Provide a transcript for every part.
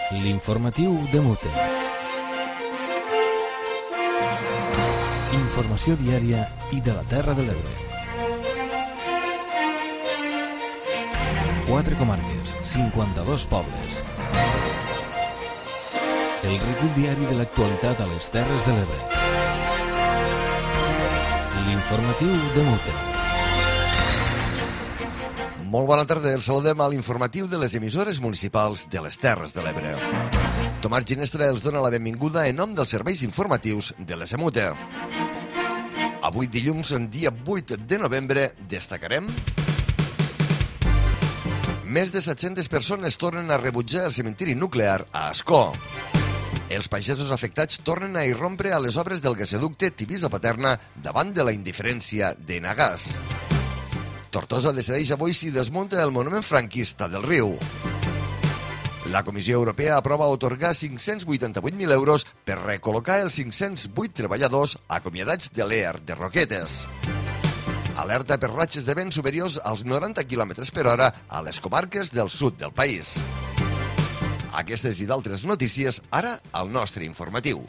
L'informatiu de Mute. Informació diària i de la Terra de l'Ebre. 4 comarques, 52 pobles. El recull diari de l'actualitat a les Terres de l'Ebre. L'informatiu de Mute. Molt bona tarda, els saludem a l'informatiu de les emissores municipals de les Terres de l'Ebre. Tomàs Ginestra els dona la benvinguda en nom dels serveis informatius de l'ESMUTE. Avui dilluns, dia 8 de novembre, destacarem: més de 700 persones tornen a rebutjar el cementiri nuclear a Ascó. Els pagesos afectats tornen a irrompre a les obres del gasoducte Tivisa-Paterna davant de la indiferència d'Enagas. Tortosa decideix avui si desmunta el monument franquista del riu. La Comissió Europea aprova atorgar 588.000 euros per recol·locar els 508 treballadors acomiadats de l'EAR de Roquetes. Alerta per ratxes de vent superiors als 90 km per hora a les comarques del sud del país. Aquestes i d'altres notícies ara al nostre informatiu.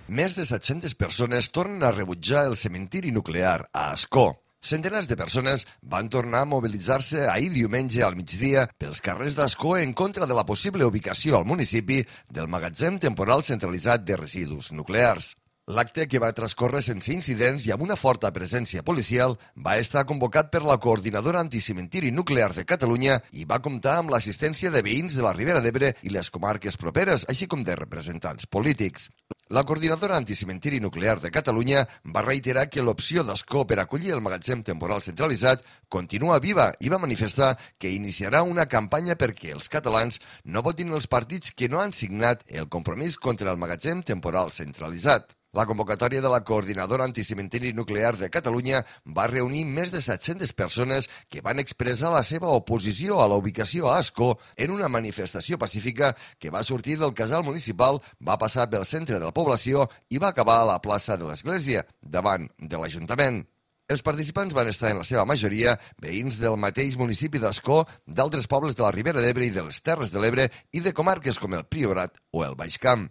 Més de 700 persones tornen a rebutjar el cementiri nuclear a Ascó. Centenars de persones van tornar a mobilitzar-se ahir diumenge al migdia pels carrers d'Ascó en contra de la possible ubicació al municipi del magatzem temporal centralitzat de residus nuclears. L'acte, que va transcórrer sense incidents i amb una forta presència policial, va estar convocat per la Coordinadora Anticementiri Nuclear de Catalunya i va comptar amb l'assistència de veïns de la Ribera d'Ebre i les comarques properes, així com de representants polítics. La Coordinadora Anticementiri Nuclear de Catalunya va reiterar que l'opció d'Ascó per acollir el magatzem temporal centralitzat continua viva i va manifestar que iniciarà una campanya perquè els catalans no votin els partits que no han signat el compromís contra el magatzem temporal centralitzat. La convocatòria de la Coordinadora Anticementiri Nuclear de Catalunya va reunir més de 700 persones que van expressar la seva oposició a la ubicació a Ascó en una manifestació pacífica que va sortir del casal municipal, va passar pel centre de la població i va acabar a la plaça de l'Església, davant de l'Ajuntament. Els participants van estar en la seva majoria veïns del mateix municipi d'Ascó, d'altres pobles de la Ribera d'Ebre i de les Terres de l'Ebre i de comarques com el Priorat o el Baix Camp.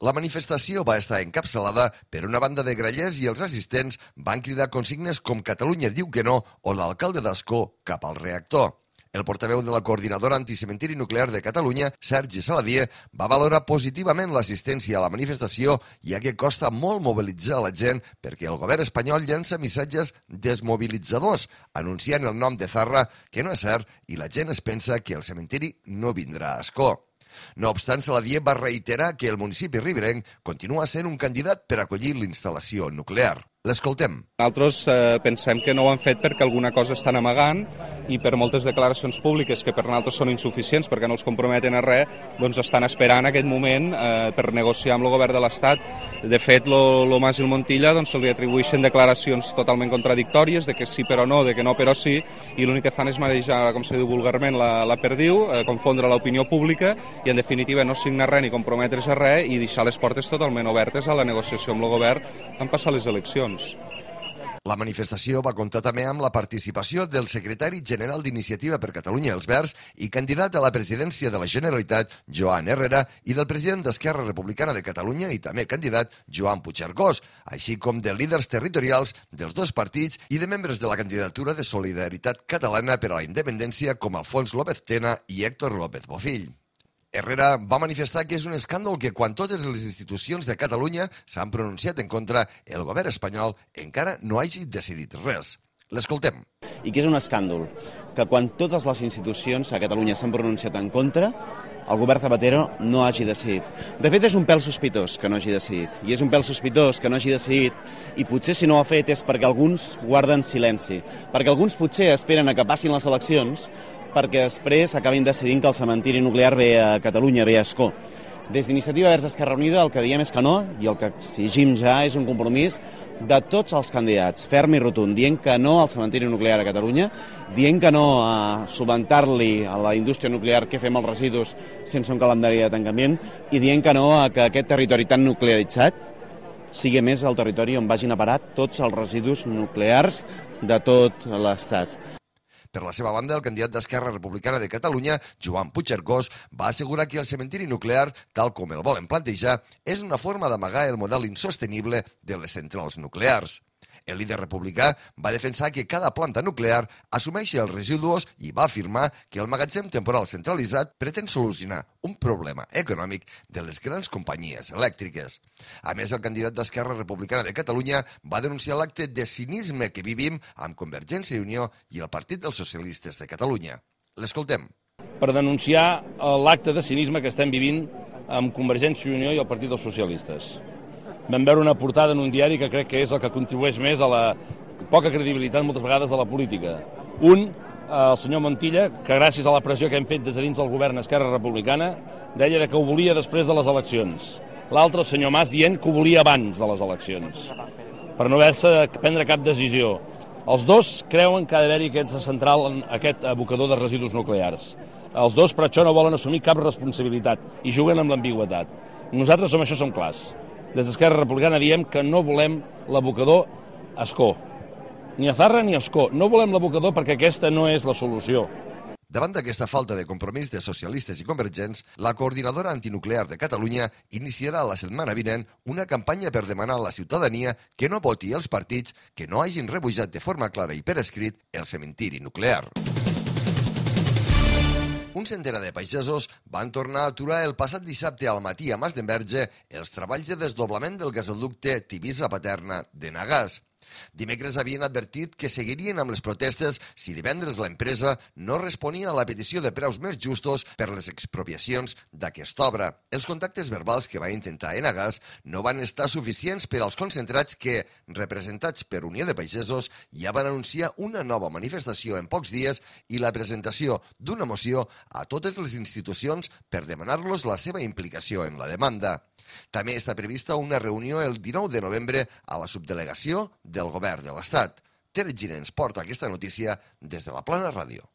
La manifestació va estar encapçalada per una banda de grallers i els assistents van cridar consignes com Catalunya diu que no o l'alcalde d'Ascó cap al reactor. El portaveu de la Coordinadora Anticementiri Nuclear de Catalunya, Sergi Saladier, va valorar positivament l'assistència a la manifestació, ja que costa molt mobilitzar la gent perquè el govern espanyol llença missatges desmobilitzadors, anunciant el nom de Zarra, que no és cert, i la gent es pensa que el cementiri no vindrà a Ascó. No obstant, Saladier va reiterar que el municipi riberenc continua sent un candidat per acollir l'instal·lació nuclear. L'escoltem. Nosaltres pensem que no ho han fet perquè alguna cosa estan amagant i per moltes declaracions públiques que per nosaltres són insuficients perquè no els comprometen a res, doncs estan esperant aquest moment per negociar amb el govern de l'Estat. De fet, lo Mas i el Montilla doncs, se li atribueixen declaracions totalment contradictòries, de que sí però no, de que no però sí, i l'únic que fan és marejar, com se diu vulgarment, la perdiu, confondre l'opinió pública i en definitiva no signar res ni comprometre's a res i deixar les portes totalment obertes a la negociació amb el govern en passar les eleccions. La manifestació va comptar també amb la participació del secretari general d'Iniciativa per Catalunya Els Verds i candidat a la presidència de la Generalitat, Joan Herrera, i del president d'Esquerra Republicana de Catalunya i també candidat, Joan Puigcercós, així com de líders territorials dels dos partits i de membres de la candidatura de Solidaritat Catalana per a la Independència com Alfons López Tena i Héctor López Bofill. Herrera va manifestar que és un escàndol que quan totes les institucions de Catalunya s'han pronunciat en contra, el govern espanyol encara no hagi decidit res. L'escoltem. I que és un escàndol que quan totes les institucions a Catalunya s'han pronunciat en contra, el govern Zapatero no hagi decidit. De fet, és un pèl sospitós que no hagi decidit. I és un pèl sospitós que no hagi decidit i potser si no ho ha fet és perquè alguns guarden silenci. Perquè alguns potser esperen a que passin les eleccions perquè després acabin decidint que el cementiri nuclear ve a Catalunya, ve a Ascó. Des d'Iniciativa Verds Esquerra Unida el que diem és que no, i el que exigim ja és un compromís de tots els candidats, ferm i rotund, dient que no al cementiri nuclear a Catalunya, dient que no a subventar-li a la indústria nuclear què fem els residus sense un calendari de tancament, i dient que no a que aquest territori tan nuclearitzat sigui més el territori on vagin a parar tots els residus nuclears de tot l'Estat. Per la seva banda, el candidat d'Esquerra Republicana de Catalunya, Joan Puigcercós, va assegurar que el cementiri nuclear, tal com el volen plantejar, és una forma d'amagar el model insostenible de les centrals nuclears. El líder republicà va defensar que cada planta nuclear assumeixi els residus i va afirmar que el magatzem temporal centralitzat pretén solucionar un problema econòmic de les grans companyies elèctriques. A més, el candidat d'Esquerra Republicana de Catalunya va denunciar l'acte de cinisme que vivim amb Convergència i Unió i el Partit dels Socialistes de Catalunya. L'escoltem. Per denunciar l'acte de cinisme que estem vivint amb Convergència i Unió i el Partit dels Socialistes. Vam veure una portada en un diari que crec que és el que contribueix més a la poca credibilitat moltes vegades de la política. Un, el senyor Montilla, que gràcies a la pressió que hem fet des de dins del govern Esquerra Republicana, deia que ho volia després de les eleccions. L'altre, el senyor Mas, dient que ho volia abans de les eleccions, per no haver-se de prendre cap decisió. Els dos creuen que ha d'haver-hi aquest abocador de residus nuclears. Els dos, per això, no volen assumir cap responsabilitat i juguen amb l'ambigüitat. Nosaltres som això som clars. Des d'Esquerra Republicana diem que no volem l'abocador a Ascó. Ni a Zarra ni a Ascó. No volem l'abocador perquè aquesta no és la solució. Davant d'aquesta falta de compromís de socialistes i convergents, la Coordinadora Antinuclear de Catalunya iniciarà la setmana vinent una campanya per demanar a la ciutadania que no voti els partits que no hagin rebutjat de forma clara i per escrit el cementiri nuclear. Un centenar de pagesos van tornar a aturar el passat dissabte al matí a Masdenverge els treballs de desdoblament del gasoducte Tivissa-Paterna de Nagàs. Dimecres havien advertit que seguirien amb les protestes si divendres l'empresa no responia a la petició de preus més justos per les expropiacions d'aquesta obra. Els contactes verbals que va intentar Enagàs no van estar suficients per als concentrats que, representats per Unió de Pagesos, ja van anunciar una nova manifestació en pocs dies i la presentació d'una moció a totes les institucions per demanar-los la seva implicació en la demanda. També està prevista una reunió el 19 de novembre a la subdelegació del Govern de l'Estat. Tere Giner ens porta aquesta notícia des de la Plana Ràdio.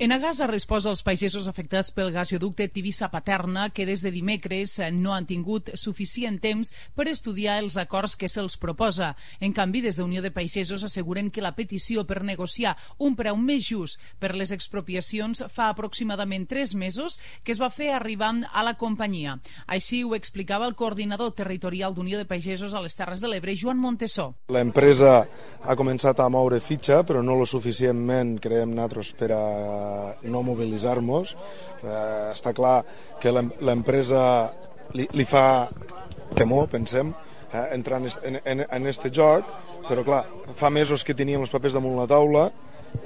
Enagàs ha respost als pagesos afectats pel gasoducte Tivissa-Paterna que des de dimecres no han tingut suficient temps per estudiar els acords que se'ls proposa. En canvi, des de Unió de Pagesos asseguren que la petició per negociar un preu més just per les expropiacions fa aproximadament 3 mesos que es va fer arribant a la companyia. Així ho explicava el coordinador territorial d'Unió de Pagesos a les Terres de l'Ebre, Joan Montesó. L'empresa ha començat a moure fitxa, però no lo suficientment, creiem nosaltres, per a no mobilitzar-nos. Està clar que l'empresa li fa temor, pensem, entrar en este joc, però clar, fa mesos que teníem els papers damunt la taula,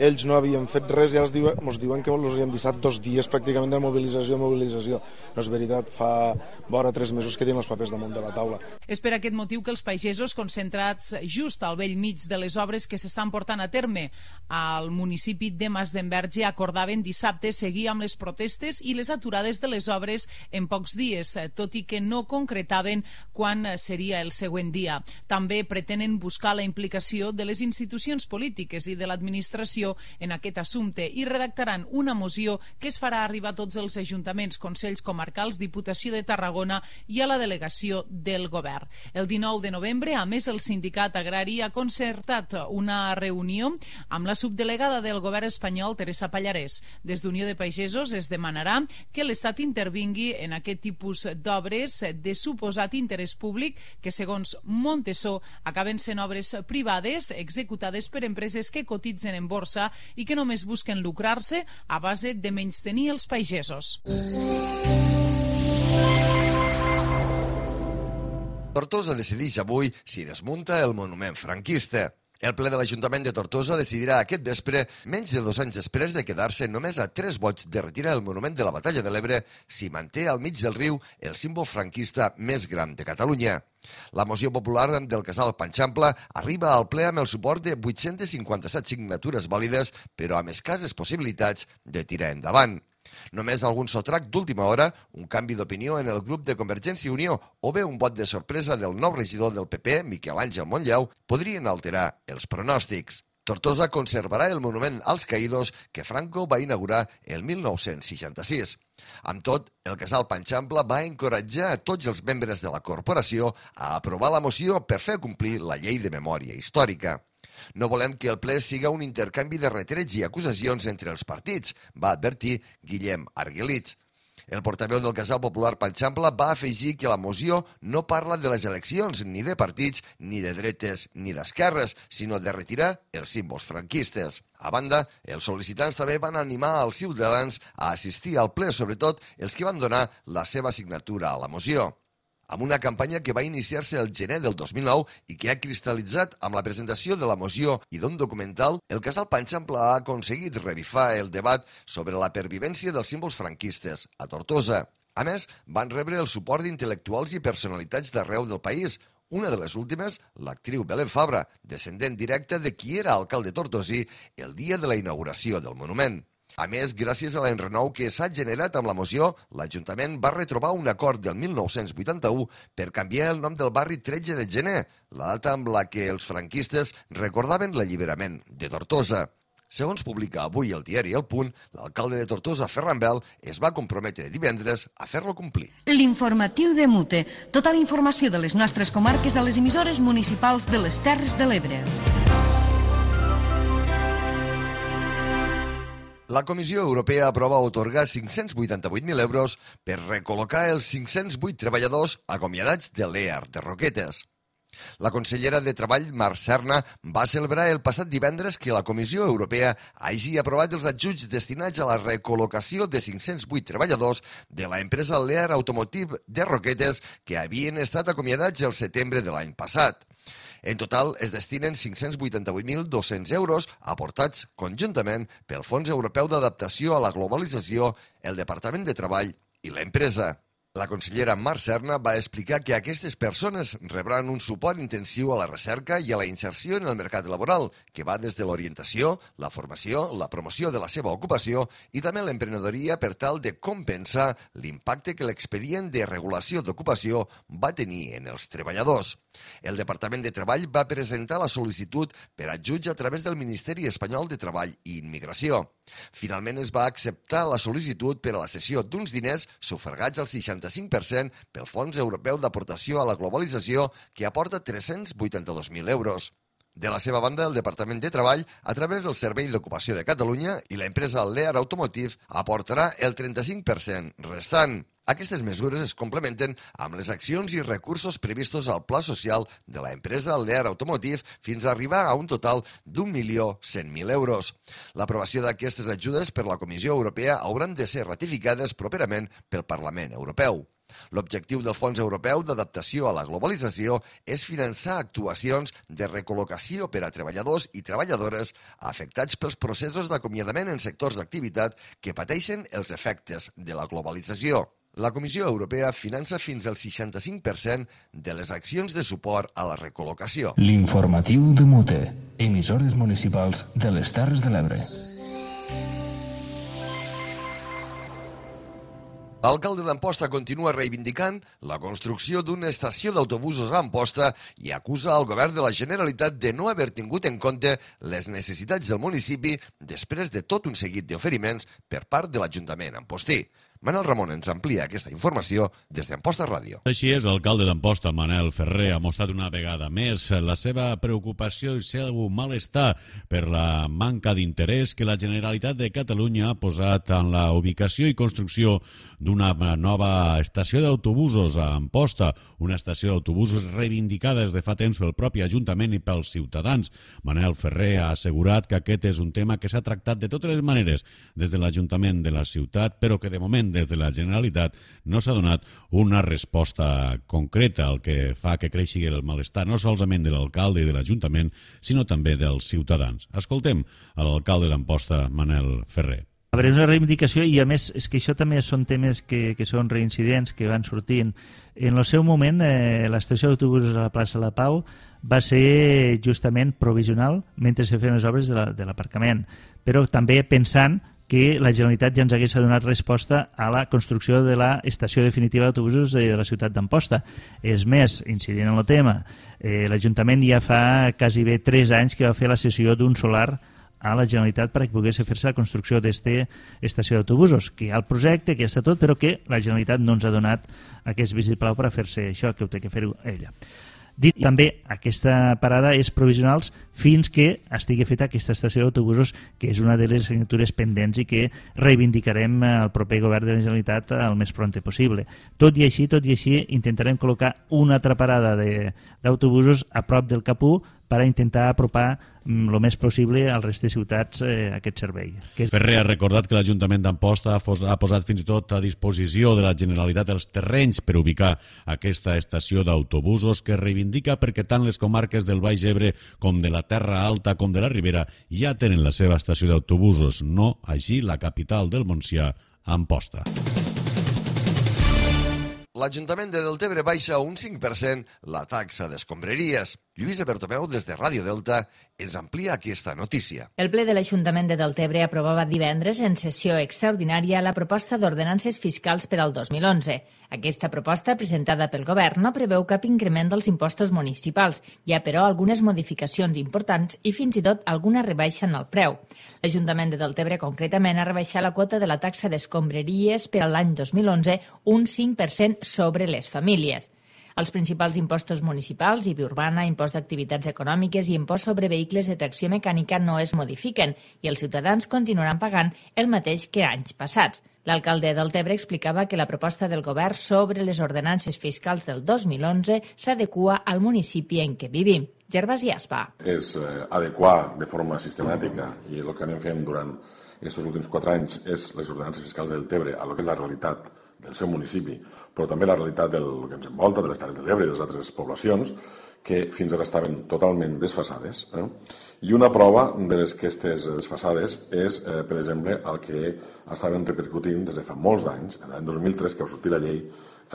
ells no havien fet res i ara ens diuen que els hem deixat 2 dies pràcticament de mobilització. No és veritat, fa vora 3 mesos que tenim els papers damunt de la taula. És per aquest motiu que els pagesos concentrats just al vell mig de les obres que s'estan portant a terme al municipi de Masdenverge acordaven dissabte seguir amb les protestes i les aturades de les obres en pocs dies, tot i que no concretaven quan seria el següent dia. També pretenen buscar la implicació de les institucions polítiques i de l'administració en aquest assumpte i redactaran una moció que es farà arribar a tots els ajuntaments, consells comarcals, Diputació de Tarragona i a la delegació del govern. El 19 de novembre, a més, el sindicat agrari ha concertat una reunió amb la subdelegada del govern espanyol, Teresa Pallarès. Des d'Unió de Pagesos es demanarà que l'Estat intervingui en aquest tipus d'obres de suposat interès públic que, segons Montesó, acaben sent obres privades executades per empreses que cotitzen en borsa i que només busquen lucrar-se a base de menystenir els pagesos. Tortosa decideix avui si desmunta el monument franquista. El ple de l'Ajuntament de Tortosa decidirà aquest vespre, menys de 2 anys després de quedar-se només a 3 vots de retirar el monument de la Batalla de l'Ebre, si manté al mig del riu el símbol franquista més gran de Catalunya. La moció popular del casal Panxampla arriba al ple amb el suport de 857 signatures vàlides, però amb escasses possibilitats de tirar endavant. Només algun sotrac d'última hora, un canvi d'opinió en el grup de Convergència i Unió o bé un vot de sorpresa del nou regidor del PP, Miquel Àngel Montllau, podrien alterar els pronòstics. Tortosa conservarà el monument als caïdos que Franco va inaugurar el 1966. Amb tot, el casal Panxampla va encoratjar a tots els membres de la corporació a aprovar la moció per fer complir la llei de memòria històrica. No volem que el ple siga un intercanvi de retrets i acusacions entre els partits, va advertir Guillem Arguelits. El portaveu del Casal Popular Panxampla va afegir que la moció no parla de les eleccions ni de partits, ni de dretes ni d'esquerres, sinó de retirar els símbols franquistes. A banda, els sol·licitants també van animar els ciutadans a assistir al ple, sobretot els que van donar la seva signatura a la moció. Amb una campanya que va iniciar-se el gener del 2009 i que ha cristal·litzat amb la presentació de la moció i d'un documental, el Casal Panxampla ha aconseguit revifar el debat sobre la pervivència dels símbols franquistes a Tortosa. A més, van rebre el suport d'intel·lectuals i personalitats d'arreu del país. Una de les últimes, l'actriu Belén Fabra, descendent directe de qui era alcalde tortosí el dia de la inauguració del monument. A més, gràcies a l'enrenou que s'ha generat amb la moció, l'Ajuntament va retrobar un acord del 1981 per canviar el nom del barri 13 de gener, la data amb la que els franquistes recordaven l'alliberament de Tortosa. Segons publica avui el diari El Punt, l'alcalde de Tortosa, Ferran Bel, es va comprometre divendres a fer-lo complir. L'informatiu de Mute. Tota la informació de les nostres comarques a les emissores municipals de les Terres de l'Ebre. La Comissió Europea aprova atorgar 588.000 euros per recol·locar els 508 treballadors acomiadats de l'EAR de Roquetes. La consellera de Treball, Mar Serna, va celebrar el passat divendres que la Comissió Europea hagi aprovat els ajuts destinats a la recol·locació de 508 treballadors de l'empresa Lear Automotive de Roquetes que havien estat acomiadats el setembre de l'any passat. En total, es destinen 588.200 euros aportats conjuntament pel Fons Europeu d'Adaptació a la Globalització, el Departament de Treball i l'empresa. La consellera Mar Serna va explicar que aquestes persones rebran un suport intensiu a la recerca i a la inserció en el mercat laboral, que va des de l'orientació, la formació, la promoció de la seva ocupació i també l'emprenedoria per tal de compensar l'impacte que l'expedient de regulació d'ocupació va tenir en els treballadors. El Departament de Treball va presentar la sol·licitud per ajuts a través del Ministeri Espanyol de Treball i Immigració. Finalment es va acceptar la sol·licitud per a la cessió d'uns diners sufragats al 65% pel Fons Europeu d'Aportació a la Globalització, que aporta 382.000 euros. De la seva banda, el Departament de Treball, a través del Servei d'Ocupació de Catalunya i l'empresa Lear Automotive, aportarà el 35% restant. Aquestes mesures es complementen amb les accions i recursos previstos al Pla Social de l'empresa Lear Automotive fins a arribar a un total d'1.100.000 euros. L'aprovació d'aquestes ajudes per la Comissió Europea hauran de ser ratificades properament pel Parlament Europeu. L'objectiu del Fons Europeu d'Adaptació a la Globalització és finançar actuacions de recol·locació per a treballadors i treballadores afectats pels processos d'acomiadament en sectors d'activitat que pateixen els efectes de la globalització. La Comissió Europea finança fins al 65% de les accions de suport a la recol·locació. L'informatiu de Mute, emissores municipals de les Terres de l'Ebre. L'alcalde d'Amposta continua reivindicant la construcció d'una estació d'autobusos a Amposta i acusa el govern de la Generalitat de no haver tingut en compte les necessitats del municipi després de tot un seguit d'oferiments per part de l'Ajuntament ampostí. Manel Ramon ens amplia aquesta informació des d'Amposta Ràdio. Així és, l'alcalde d'Amposta, Manel Ferrer, ha mostrat una vegada més la seva preocupació i el seu malestar per la manca d'interès que la Generalitat de Catalunya ha posat en la ubicació i construcció d'una nova estació d'autobusos a Amposta, una estació d'autobusos reivindicada des de fa temps pel propi Ajuntament i pels ciutadans. Manel Ferrer ha assegurat que aquest és un tema que s'ha tractat de totes les maneres des de l'Ajuntament de la ciutat, però que de moment des de la Generalitat no s'ha donat una resposta concreta, el que fa que creixi el malestar no solament de l'alcalde i de l'Ajuntament, sinó també dels ciutadans. Escoltem a l'alcalde d'Amposta, Manel Ferrer. A veure, és una reivindicació i a més és que això també són temes que són reincidents, que van sortint. En el seu moment, l'estació d'autobusos a la plaça La Pau va ser justament provisional mentre se feien les obres de l'aparcament, però també pensant que la Generalitat ja ens hagués donat resposta a la construcció de l'estació definitiva d'autobusos de la ciutat d'Amposta. És més, incidint en el tema, l'Ajuntament ja fa quasi bé 3 anys que va fer la cessió d'un solar a la Generalitat perquè pogués fer-se la construcció d'esta estació d'autobusos, que hi ha el projecte, que ja està tot, però que la Generalitat no ens ha donat aquest vistiplau per a fer-se això, que ho té que fer ella. Dit també, aquesta parada és provisional fins que estigui feta aquesta estació d'autobusos, que és una de les assignatures pendents i que reivindicarem al proper govern de la Generalitat el més prompte possible. Tot i així, intentarem col·locar una altra parada d'autobusos a prop del Cap1 per a intentar apropar el més possible al resta de ciutats aquest servei. Ferrer ha recordat que l'Ajuntament d'Amposta ha posat fins i tot a disposició de la Generalitat els terrenys per ubicar aquesta estació d'autobusos que reivindica perquè tant les comarques del Baix Ebre com de la Terra Alta com de la Ribera ja tenen la seva estació d'autobusos, no així la capital del Montsià, Amposta. L'Ajuntament de Deltebre baixa un 5% la taxa d'escombraries. Lluïsa Bertomeu, des de Ràdio Delta, ens amplia aquesta notícia. El ple de l'Ajuntament de Deltebre aprovava divendres en sessió extraordinària la proposta d'ordenances fiscals per al 2011. Aquesta proposta, presentada pel Govern, no preveu cap increment dels impostos municipals. Hi ha, però, algunes modificacions importants i fins i tot alguna rebaixa en el preu. L'Ajuntament de Deltebre, concretament, ha rebaixat la quota de la taxa d'escombraries per a l'any 2011 un 5% sobre les famílies. Els principals impostos municipals, IBI urbana, impost d'activitats econòmiques i impost sobre vehicles de tracció mecànica no es modifiquen i els ciutadans continuaran pagant el mateix que anys passats. L'alcalde de Deltebre explicava que la proposta del govern sobre les ordenances fiscals del 2011 s'adequa al municipi en què vivim. Gervasi Aspa. És adequar de forma sistemàtica i el que anem fent durant aquests últims 4 anys és les ordenances fiscals de Deltebre a lo que és la realitat del seu municipi, però també la realitat del que ens envolta, de les Terres de l'Ebre i de les altres poblacions, que fins ara estaven totalment desfasades. I una prova de les aquestes desfasades és, per exemple, el que estaven repercutint des de fa molts d'anys, l'any 2003, que va sortir la llei,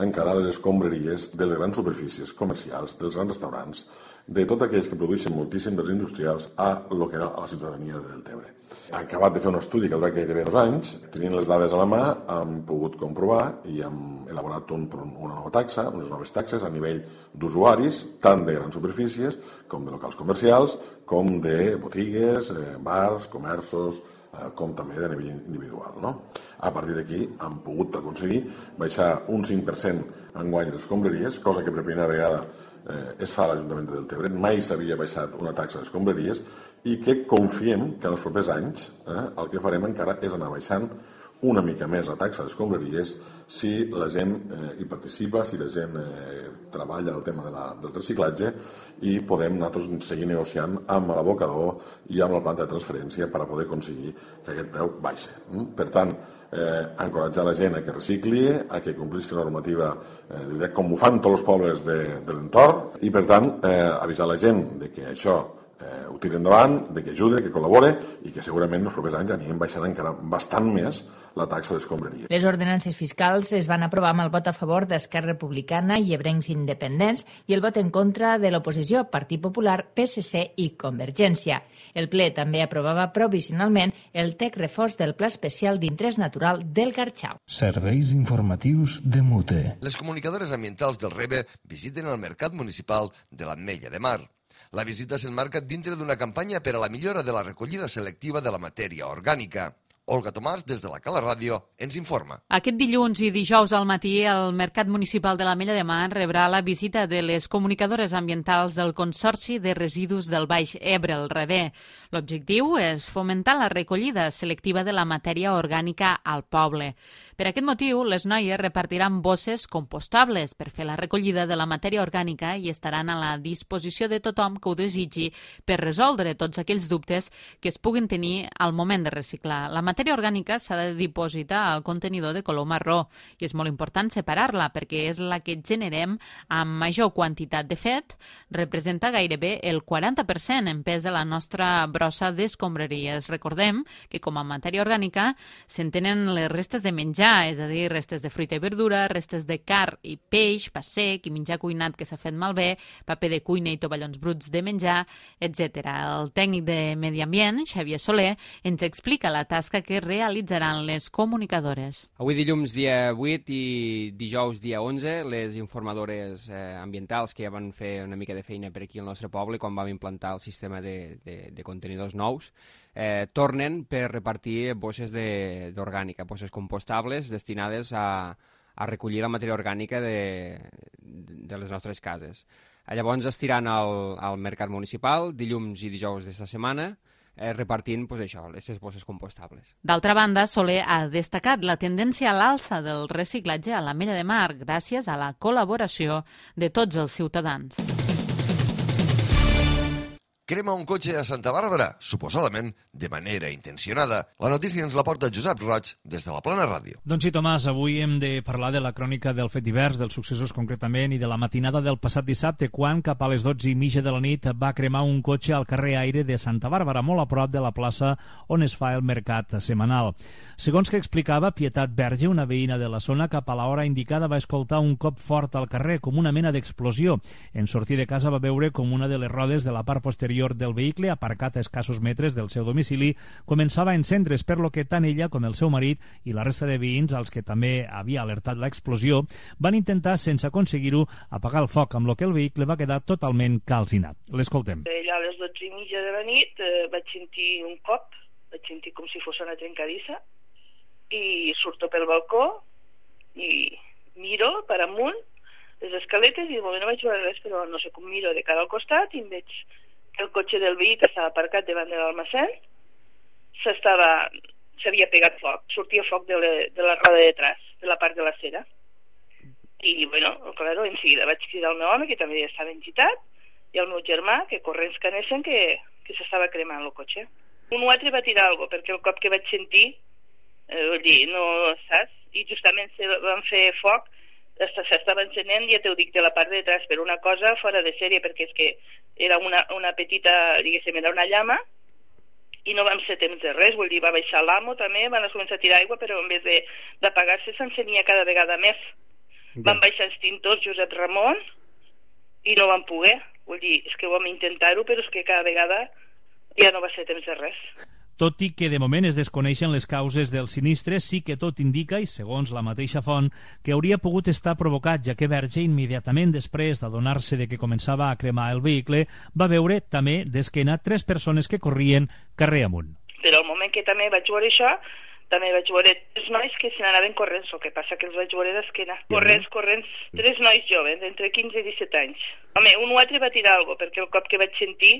encara les escombraries de les grans superfícies comercials, dels grans restaurants, de tots aquells que produeixen moltíssim dels industrials a lo que era la ciutadania de Deltebre. Han acabat de fer un estudi que ha durat gairebé 2 anys, tenint les dades a la mà, hem pogut comprovar i hem elaborat una nova taxa, unes noves taxes a nivell d'usuaris, tant de grans superfícies com de locals comercials, com de botigues, bars, comerços, com també de nivell individual. A partir d'aquí hem pogut aconseguir baixar un 5% enguany les escombraries, cosa que per primera vegada es fa a l'Ajuntament de Deltebre. Mai s'havia baixat una taxa d'escombraries i que confiem que en els propers anys el que farem encara és anar baixant una mica més la taxa d'escombraries si la gent hi participa, si la gent treballa el tema del reciclatge i podem nosaltres seguir negociant amb l'abocador i amb la planta de transferència per a poder aconseguir que aquest preu baixi. Per tant, encoratjar la gent a que recicli, a que complisqui la normativa com ho fan tots els pobles de l'entorn i, per tant, avisar la gent de que això ho tiri endavant, de que ajude, que col·labore i que segurament els propers anys anirem baixant encara bastant més la taxa d'escombraria. Les ordenances fiscals es van aprovar amb el vot a favor d'Esquerra Republicana i Ebrencs Independents i el vot en contra de l'oposició, Partit Popular, PSC i Convergència. El ple també aprovava provisionalment el text reforç del Pla Especial d'Interès Natural del Garxau. Serveis informatius de Mute. Les comunicadores ambientals del REBE visiten el Mercat Municipal de l'Ametlla de Mar. La visita s'enmarca dintre d'una campanya per a la millora de la recollida selectiva de la matèria orgànica. Olga Tomàs, des de la Cala Ràdio, ens informa. Aquest dilluns i dijous al matí, el Mercat Municipal de l'Ametlla de Mar rebrà la visita de les comunicadores ambientals del Consorci de Residus del Baix Ebre, el REBE. L'objectiu és fomentar la recollida selectiva de la matèria orgànica al poble. Per aquest motiu, les noies repartiran bosses compostables per fer la recollida de la matèria orgànica i estaran a la disposició de tothom que ho desitgi per resoldre tots aquells dubtes que es puguin tenir al moment de reciclar. La matèria orgànica s'ha de dipositar al contenidor de color marró i és molt important separar-la perquè és la que generem amb major quantitat. De fet, representa gairebé el 40% en pes de la nostra brossa d'escombraries. Recordem que com a matèria orgànica s'entenen les restes de menjar, és a dir, restes de fruita i verdura, restes de carn i peix, pa sec i menjar cuinat que s'ha fet malbé, paper de cuina i tovallons bruts de menjar, etc. El tècnic de Medi Ambient, Xavier Soler, ens explica la tasca l'acte que realitzaran les comunicadores. Avui dilluns dia 8 i dijous dia 11, les informadores ambientals que ja van fer una mica de feina per aquí al nostre poble quan vam implantar el sistema de contenidors nous, tornen per repartir bosses d'orgànica, bosses compostables destinades a recollir la matèria orgànica de les nostres cases. Llavors estiran al mercat municipal dilluns i dijous d'esta setmana repartint aquestes bosses compostables. D'altra banda, Soler ha destacat la tendència a l'alça del reciclatge a l'Ametlla de Mar gràcies a la col·laboració de tots els ciutadans. Crema un cotxe a Santa Bàrbara, suposadament de manera intencionada. La notícia ens la porta Josep Roig des de la Plana Ràdio. Doncs sí, Tomàs, avui hem de parlar de la crònica del fet divers, dels successos concretament, i de la matinada del passat dissabte, quan cap a les 12:30 de la nit va cremar un cotxe al carrer Aire de Santa Bàrbara, molt a prop de la plaça on es fa el mercat setmanal. Segons que explicava Pietat Verge, una veïna de la zona, cap a l'hora indicada va escoltar un cop fort al carrer, com una mena d'explosió. En sortir de casa va veure com una de les rodes de la part posterior del vehicle, aparcat a escassos metres del seu domicili, començava a encendre's, per lo que tant ella com el seu marit i la resta de veïns, als que també havia alertat l'explosió, van intentar, sense aconseguir-ho, apagar el foc, amb lo que el vehicle va quedar totalment calcinat. L'escoltem. Allà a les 12:30 de la nit vaig sentir un cop, vaig sentir com si fos una trencadissa, i surto pel balcó i miro per amunt les escaletes i de moment no vaig veure res, però no sé com miro de cara al costat i em veig que el cotxe del veí que estava aparcat davant de l'almacén s'havia pegat foc, sortia foc de la roda de detrás, de la part de la cera. I, bueno, claro, en seguida vaig cridar el meu home, que també estava engitat, i el meu germà, que corrents que anessen, que s'estava cremant el cotxe. Un altre va tirar alguna cosa, perquè el cop que vaig sentir, vull dir, no saps? I justament van fer foc, s'estava encenent, ja t'ho dic, de la part de detrás, per una cosa fora de sèrie, perquè és que era una petita, diguéssim, era una llama, i no vam ser temps de res, vull dir, va baixar l'amo també, van començar a tirar aigua, però en vez d'apagar-se s'encenia cada vegada més. Van baixar extintors Josep Ramon i no van poder, vull dir, és que vam intentar-ho, però és que cada vegada ja no va ser temps de res. Tot i que de moment es desconeixen les causes del sinistre, sí que tot indica, i segons la mateixa font, que hauria pogut estar provocat, ja que Verge, immediatament després d'adonar-se de que començava a cremar el vehicle, va veure també d'esquena 3 persones que corrien carrer amunt. Però al moment que també vaig veure això, també vaig veure 3 nois que se n'anaven corrents, el que passa que els vaig veure d'esquena. Corrents, 3 nois joves, entre 15 i 17 anys. Home, un altre va tirar alguna cosa, perquè el cop que vaig sentir...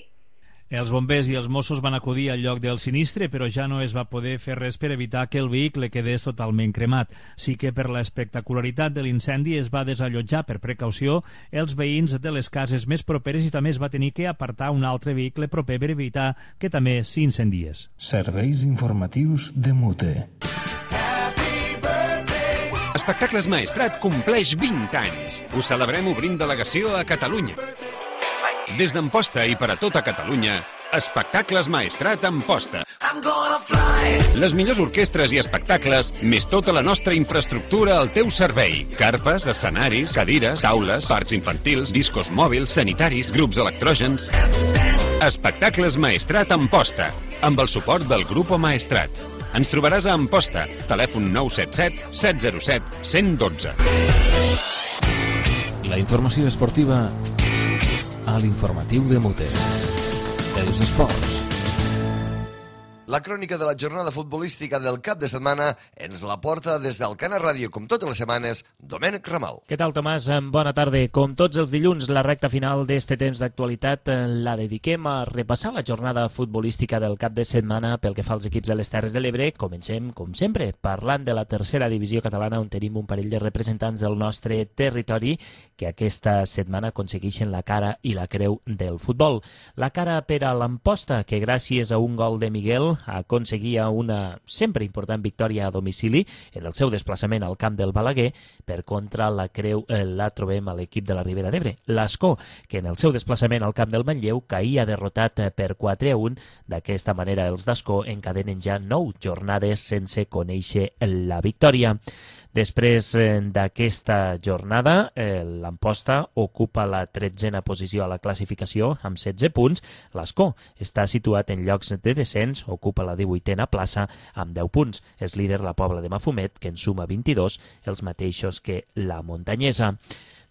Els bombers i els Mossos van acudir al lloc del sinistre, però ja no es va poder fer res per evitar que el vehicle quedés totalment cremat. Sí que per l'espectacularitat de l'incendi es va desallotjar per precaució els veïns de les cases més properes i també es va tenir que apartar un altre vehicle proper per evitar que també s'incendiés. Serveis informatius de Mute. Espectacles Maestrat compleix 20 anys. Ho celebrem obrint delegació a Catalunya. Des d'Amposta i per a tota Catalunya, Espectacles Maestrat Amposta. Les millors orquestres i espectacles, més tota la nostra infraestructura al teu servei. Carpes, escenaris, cadires, taules, parcs infantils, discos mòbils, sanitaris, grups electrògens. Espectacles Maestrat Amposta, amb el suport del Grupo Maestrat. Ens trobaràs a Amposta, telèfon 977 707 112. La informació esportiva a l'informatiu de Mute. Els esports. La crònica de la jornada futbolística del cap de setmana ens la porta des d'Alcana Ràdio, com totes les setmanes, Domènec Ramal. Què tal, Tomàs? Bona tarda. Com tots els dilluns, la recta final d'este temps d'actualitat la dediquem a repassar la jornada futbolística del cap de setmana pel que fa als equips de les Terres de l'Ebre. Comencem, com sempre, parlant de la tercera divisió catalana, on tenim un parell de representants del nostre territori que aquesta setmana aconsegueixen la cara i la creu del futbol. La cara per a l'Amposta, que gràcies a un gol de Miguel aconseguia una sempre important victòria a domicili en el seu desplaçament al camp del Balaguer. Per contra, la creu la trobem a l'equip de la Ribera d'Ebre, l'Ascó, que en el seu desplaçament al camp del Manlleu caïa derrotat per 4-1. D'aquesta manera, els d'Ascó encadenen ja 9 jornades sense conèixer la victòria. Després d'aquesta jornada, l'Amposta ocupa la 13a posició a la classificació amb 16 punts. L'Escó està situat en llocs de descens, ocupa la 18a plaça amb 10 punts. És líder la Pobla de Mafumet, que en suma 22, els mateixos que la Muntanyesa.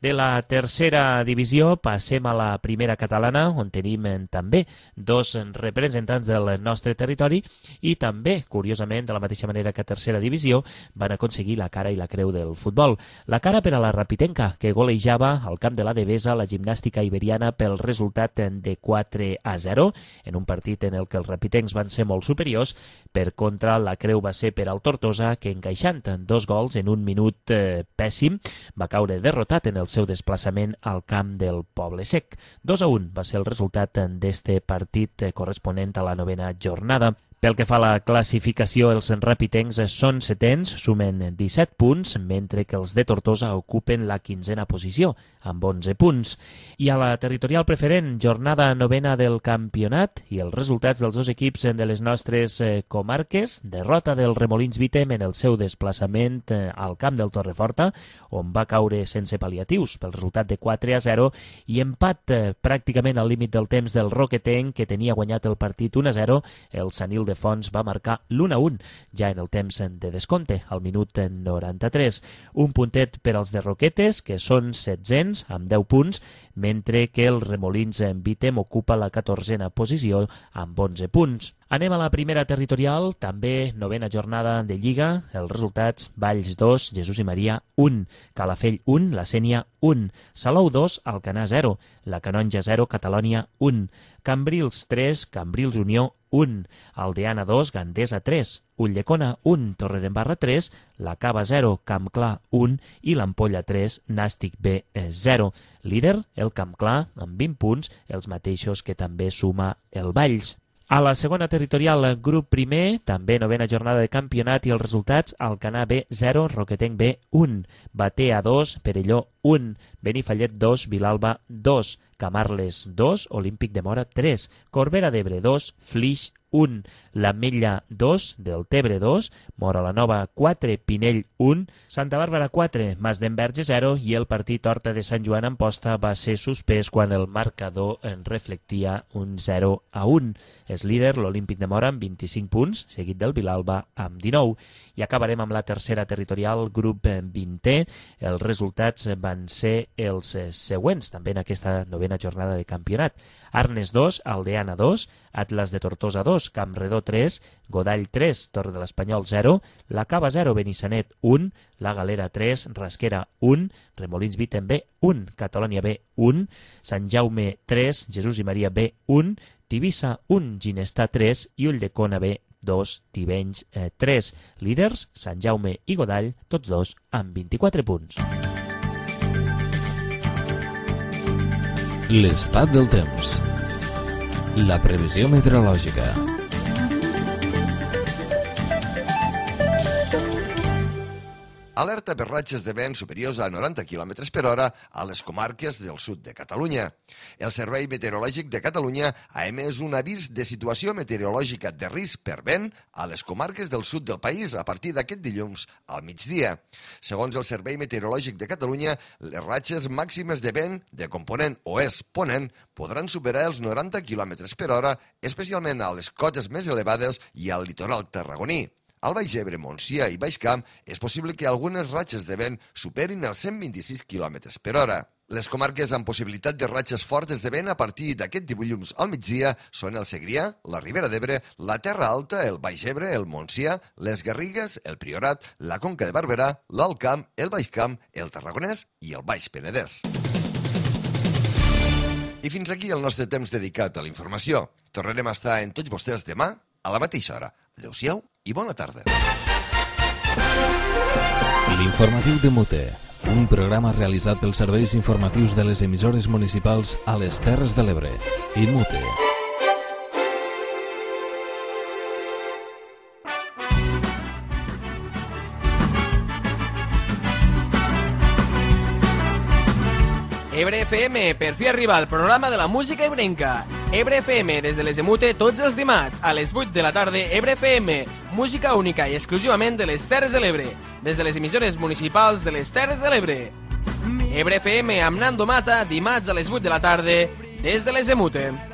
De la tercera divisió passem a la primera catalana, on tenim també dos representants del nostre territori i també, curiosament, de la mateixa manera que a tercera divisió, van aconseguir la cara i la creu del futbol. La cara per a la Rapitenca, que golejava al camp de la Devesa la gimnàstica iberiana pel resultat de 4-0, en un partit en el que els rapitencs van ser molt superiors. Per contra, la creu va ser per al Tortosa, que encaixant 2 gols en un minut pèssim, va caure derrotat en el seu desplaçament al camp del Poble Sec. 2-1 va ser el resultat d'este partit corresponent a la 9a jornada. Pel que fa a la classificació, els rapitencs són setens, sumen 17 punts, mentre que els de Tortosa ocupen la 15a posició, amb 11 punts. I a la territorial preferent, jornada 9a del campionat i els resultats dels dos equips de les nostres comarques, derrota del Remolins Vitem en el seu desplaçament al camp del Torreforta, on va caure sense pal·liatius pel resultat de 4-0, i empat pràcticament al límit del temps del Roquetenc, que tenia guanyat el partit 1-0, el Sanil de Fons va marcar l'1-1 ja en el temps de descompte, al minut 93. Un puntet per als de Roquetes, que són 16 amb 10 punts, mentre que el Remolins Vitem ocupa la 14a posició amb 11 punts. Anem a la primera territorial, també 9a jornada de Lliga. Els resultats: Valls 2, Jesús i Maria 1, Calafell 1, La Sénia 1, Salou 2, Alcanar 0, La Canonja 0, Catalònia 1, Cambrils 3, Cambrils Unió 1, Aldeana 2, Gandesa 3, Ulldecona 1, Torredembarra 3, La Cava 0, Camp Clar 1 i l'Ampolla 3, Nàstic B 0. Líder, el Camp Clar, amb 20 punts, els mateixos que també suma el Valls. A la segona territorial, grup primer, també 9a jornada de campionat i els resultats: Alcanar B 0, Roquetenc B 1, Batea 2, Perelló 1, Benifallet 2, Vilalba 2, Camarles 2, Olímpic de Mora 3, Corbera d'Ebre 2, Flix 1, l'Ametlla 2, Deltebre 2, Mora la Nova 4, Pinell 1, Santa Bàrbara 4, Mas d'Enverge 0 i el partit Horta de Sant Joan Amposta va ser suspès quan el marcador en reflectia un 0-1. És líder l'Olímpic de Mora amb 25 punts, seguit del Vilalba amb 19. I acabarem amb la tercera territorial, grup 20è. Els resultats van ser els següents, també en aquesta 9a jornada de campionat. Arnes 2, Aldeana 2, Atlas de Tortosa 2, Campredó 3, Godall 3, Torre de l'Espanyol 0, La Cava 0, Benissanet 1, La Galera 3, Rasquera 1, Remolins Vitem B 1, Catalònia B 1, Sant Jaume 3, Jesús i Maria B 1, Tivissa 1, Ginestar 3 i Ulldecona B 2, Tivenys 3. Líders, Sant Jaume i Godall, tots dos amb 24 punts. L'estat del temps. La previsió meteorològica. Alerta per ratxes de vent superiors a 90 km per hora a les comarques del sud de Catalunya. El Servei Meteorològic de Catalunya ha emès un avís de situació meteorològica de risc per vent a les comarques del sud del país a partir d'aquest dilluns al migdia. Segons el Servei Meteorològic de Catalunya, les ratxes màximes de vent de component oest-ponent podran superar els 90 km per hora, especialment a les cotes més elevades i al litoral tarragoní. Al Baix Ebre, Montsià i Baix Camp és possible que algunes ratxes de vent superin els 126 km per hora. Les comarques amb possibilitat de ratxes fortes de vent a partir d'aquest dilluns al migdia són el Segrià, la Ribera d'Ebre, la Terra Alta, el Baix Ebre, el Montsià, les Garrigues, el Priorat, la Conca de Barberà, l'Alt Camp, el Baix Camp, el Tarragonès i el Baix Penedès. I fins aquí el nostre temps dedicat a la informació. Tornarem a estar en tots vostès demà a la mateixa hora. Adéu-siau i bona tarda. L'informatiu de Mute, un programa realitzat pels serveis informatius de les emissores municipals a les Terres de l'Ebre i Mute. Ebre FM, per fi arriba el programa de la música ebrenca. Ebre FM des de les Emute tots els dimarts a les 8 de la tarda. Ebre FM, música única i exclusivament de les Terres de l'Ebre, des de les emissores municipals de les Terres de l'Ebre. Ebre FM amb Nando Mata, dimarts a les 8 de la tarda des de les Emute.